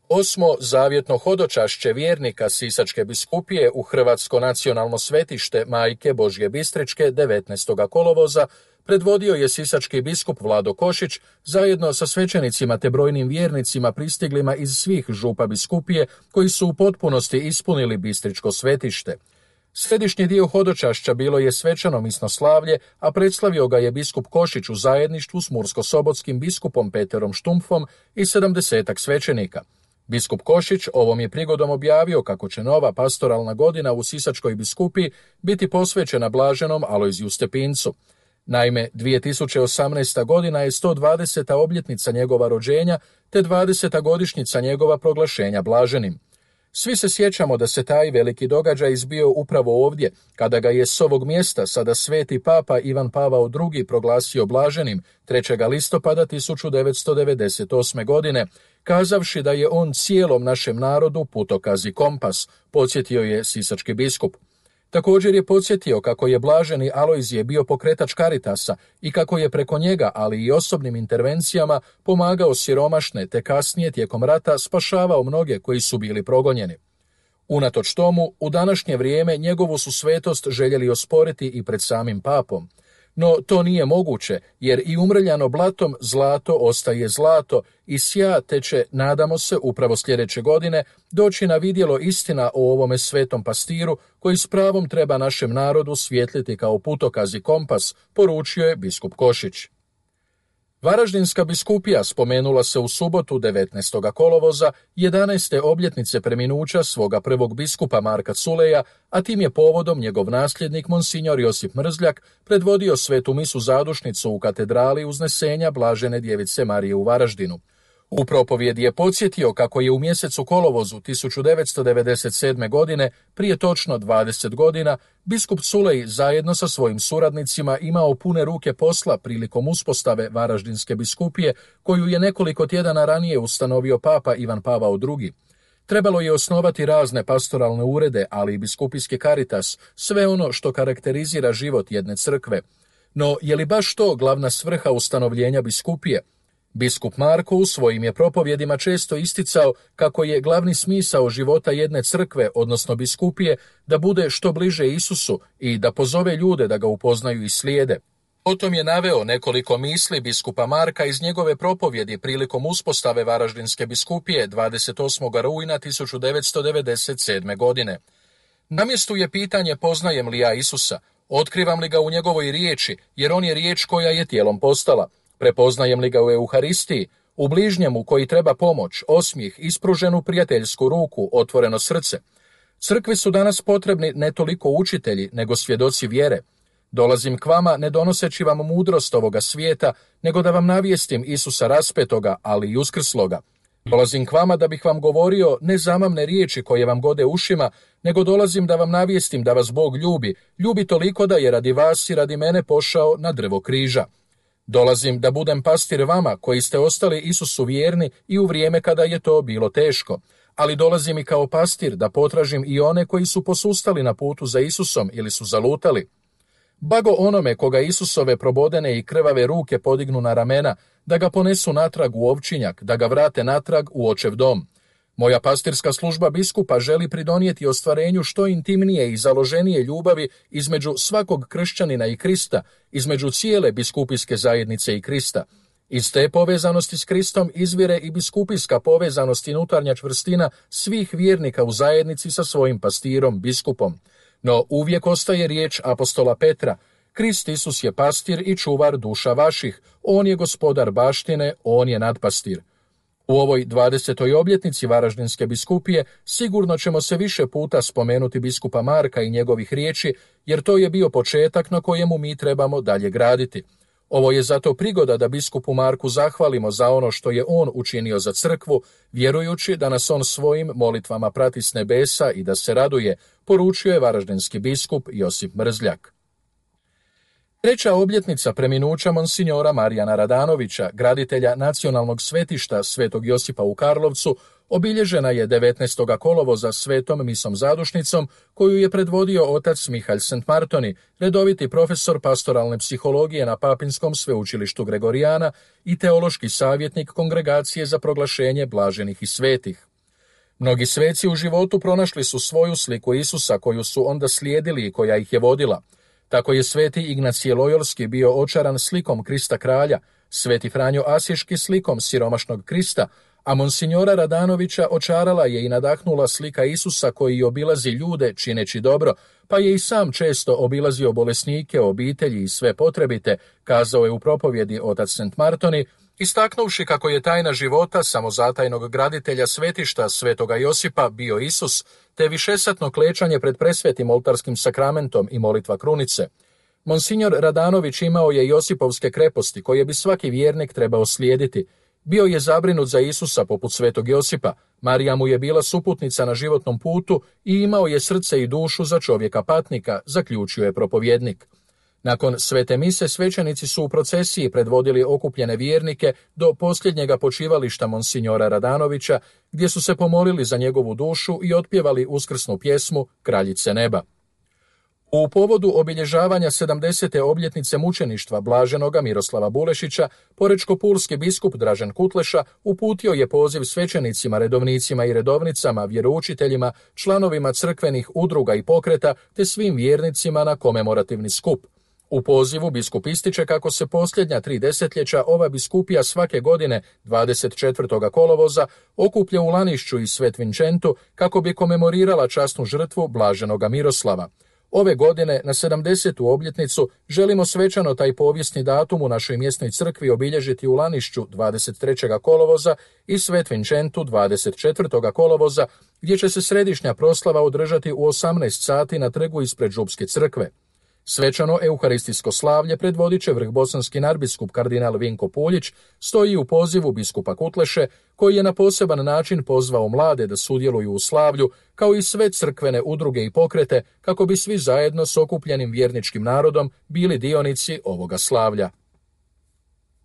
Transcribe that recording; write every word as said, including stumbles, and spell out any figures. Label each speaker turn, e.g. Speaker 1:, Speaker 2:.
Speaker 1: Osmo zavjetno hodočašće vjernika Sisačke biskupije u Hrvatsko nacionalno svetište Majke Božje Bistričke devetnaestog kolovoza predvodio je sisački biskup Vlado Košić zajedno sa svećenicima te brojnim vjernicima pristiglima iz svih župa biskupije koji su u potpunosti ispunili bistričko svetište. Središnji dio hodočašća bilo je svečano misnoslavlje, a predslavio ga je biskup Košić u zajedništvu s mursko-sobotskim biskupom Peterom Štumpfom i sedamdesetak svećenika. Biskup Košić ovom je prigodom objavio kako će nova pastoralna godina u Sisačkoj biskupiji biti posvećena blaženom Alojziju Stepincu. Naime, dvije tisuće osamnaesta godina je sto dvadeseta obljetnica njegova rođenja te dvadeseta godišnjica njegova proglašenja blaženim. Svi se sjećamo da se taj veliki događaj izbio upravo ovdje, kada ga je s ovog mjesta sada sveti papa Ivan Pavao drugi proglasio blaženim trećeg listopada tisuću devetsto devedeset osme. godine, kazavši da je on cijelom našem narodu putokaz i kompas, podsjetio je sisački biskup. Također je podsjetio kako je blaženi Alojzije bio pokretač Karitasa i kako je preko njega, ali i osobnim intervencijama, pomagao siromašne te kasnije tijekom rata spašavao mnoge koji su bili progonjeni. Unatoč tomu, u današnje vrijeme njegovu su svetost željeli osporiti i pred samim papom. No to nije moguće, jer i umrljano blatom zlato ostaje zlato i sja te će, nadamo se, upravo sljedeće godine doći na vidjelo istina o ovome svetom pastiru koji s pravom treba našem narodu svijetliti kao putokaz i kompas, poručio je biskup Košić. Varaždinska biskupija spomenula se u subotu devetnaestog kolovoza jedanaeste obljetnice preminuća svoga prvog biskupa Marka Culeja, a tim je povodom njegov nasljednik monsinjor Josip Mrzljak predvodio svetu misu zadušnicu u katedrali Uznesenja Blažene djevice Marije u Varaždinu. U propovjedi je podsjetio kako je u mjesecu kolovozu tisuću devetsto devedeset sedme. godine, prije točno dvadeset godina, biskup Culej zajedno sa svojim suradnicima imao pune ruke posla prilikom uspostave Varaždinske biskupije, koju je nekoliko tjedana ranije ustanovio papa Ivan Pavao drugi. Trebalo je osnovati razne pastoralne urede, ali i biskupijski karitas, sve ono što karakterizira život jedne crkve. No, je li baš to glavna svrha ustanovljenja biskupije? Biskup Marko u svojim je propovjedima često isticao kako je glavni smisao života jedne crkve, odnosno biskupije, da bude što bliže Isusu i da pozove ljude da ga upoznaju i slijede. Potom je naveo nekoliko misli biskupa Marka iz njegove propovjedi prilikom uspostave Varaždinske biskupije dvadeset osmog rujna tisuću devetsto devedeset sedme. godine. Na mjestu je pitanje poznajem li ja Isusa, otkrivam li ga u njegovoj riječi, jer on je riječ koja je tijelom postala. Prepoznajem li ga u Euharistiji, u bližnjemu koji treba pomoć, osmijeh, ispruženu prijateljsku ruku, otvoreno srce. Crkvi su danas potrebni ne toliko učitelji, nego svjedoci vjere. Dolazim k vama ne donoseći vam mudrost ovoga svijeta, nego da vam navijestim Isusa raspetoga, ali i uskrsloga. Dolazim k vama da bih vam govorio ne zamamne riječi koje vam gode ušima, nego dolazim da vam navijestim da vas Bog ljubi, ljubi toliko da je radi vas i radi mene pošao na drvo križa. Dolazim da budem pastir vama koji ste ostali Isusu vjerni i u vrijeme kada je to bilo teško, ali dolazim i kao pastir da potražim i one koji su posustali na putu za Isusom ili su zalutali. Bago onome koga Isusove probodene i krvave ruke podignu na ramena, da ga ponesu natrag u ovčinjak, da ga vrate natrag u očev dom. Moja pastirska služba biskupa želi pridonijeti ostvarenju što intimnije i založenije ljubavi između svakog kršćanina i Krista, između cijele biskupijske zajednice i Krista. Iz te povezanosti s Kristom izvire i biskupijska povezanost i unutarnja čvrstina svih vjernika u zajednici sa svojim pastirom, biskupom. No uvijek ostaje riječ apostola Petra: Krist Isus je pastir i čuvar duša vaših, on je gospodar baštine, on je nadpastir. U ovoj dvadesetoj obljetnici Varaždinske biskupije sigurno ćemo se više puta spomenuti biskupa Marka i njegovih riječi, jer to je bio početak na kojemu mi trebamo dalje graditi. Ovo je zato prigoda da biskupu Marku zahvalimo za ono što je on učinio za crkvu, vjerujući da nas on svojim molitvama prati s nebesa i da se raduje, poručio je varaždinski biskup Josip Mrzljak. Treća obljetnica preminuća monsinjora Marijana Radanovića, graditelja nacionalnog svetišta Svetog Josipa u Karlovcu, obilježena je devetnaestog kolovoza svetom misom zadušnicom koju je predvodio otac Mihalj Sentmartoni, redoviti profesor pastoralne psihologije na Papinskom sveučilištu Gregorijana i teološki savjetnik Kongregacije za proglašenje blaženih i svetih. Mnogi sveci u životu pronašli su svoju sliku Isusa koju su onda slijedili i koja ih je vodila. Tako je sveti Ignacije Lojolski bio očaran slikom Krista kralja, sveti Franjo Asiški slikom siromašnog Krista, a monsignora Radanovića očarala je i nadahnula slika Isusa koji obilazi ljude čineći dobro, pa je i sam često obilazio bolesnike, obitelji i sve potrebite, kazao je u propovjedi otac Sent Martoni, istaknuvši kako je tajna života samozatajnog graditelja svetišta svetoga Josipa bio Isus, te višesatno klečanje pred presvetim oltarskim sakramentom i molitva krunice. Monsignor Radanović imao je Josipovske kreposti koje bi svaki vjernik trebao slijediti. Bio je zabrinut za Isusa poput svetog Josipa, Marija mu je bila suputnica na životnom putu i imao je srce i dušu za čovjeka patnika, zaključio je propovjednik. Nakon svete mise svećenici su u procesiji predvodili okupljene vjernike do posljednjega počivališta monsignora Radanovića, gdje su se pomolili za njegovu dušu i otpjevali uskrsnu pjesmu Kraljice neba. U povodu obilježavanja sedamdesete obljetnice mučeništva blaženoga Miroslava Bulešića, porečko-pulski biskup Dražen Kutleša uputio je poziv svećenicima, redovnicima i redovnicama, vjeroučiteljima, članovima crkvenih udruga i pokreta te svim vjernicima na komemorativni skup. U pozivu biskup ističe kako se posljednja tri desetljeća ova biskupija svake godine dvadeset četvrtog kolovoza okuplja u Lanišću i Svet Vincentu kako bi komemorirala časnu žrtvu blaženoga Miroslava. Ove godine, na sedamdesetu obljetnicu, želimo svečano taj povijesni datum u našoj mjesnoj crkvi obilježiti u Lanišću dvadeset trećeg kolovoza i Svet Vincentu dvadeset četvrtog kolovoza, gdje će se središnja proslava održati u osamnaest sati na trgu ispred Župske crkve. Svečano euharistijsko slavlje predvodit će vrhbosanski nadbiskup kardinal Vinko Puljić, stoji u pozivu biskupa Kutleše, koji je na poseban način pozvao mlade da sudjeluju u slavlju, kao i sve crkvene udruge i pokrete, kako bi svi zajedno s okupljenim vjerničkim narodom bili dionici ovoga slavlja.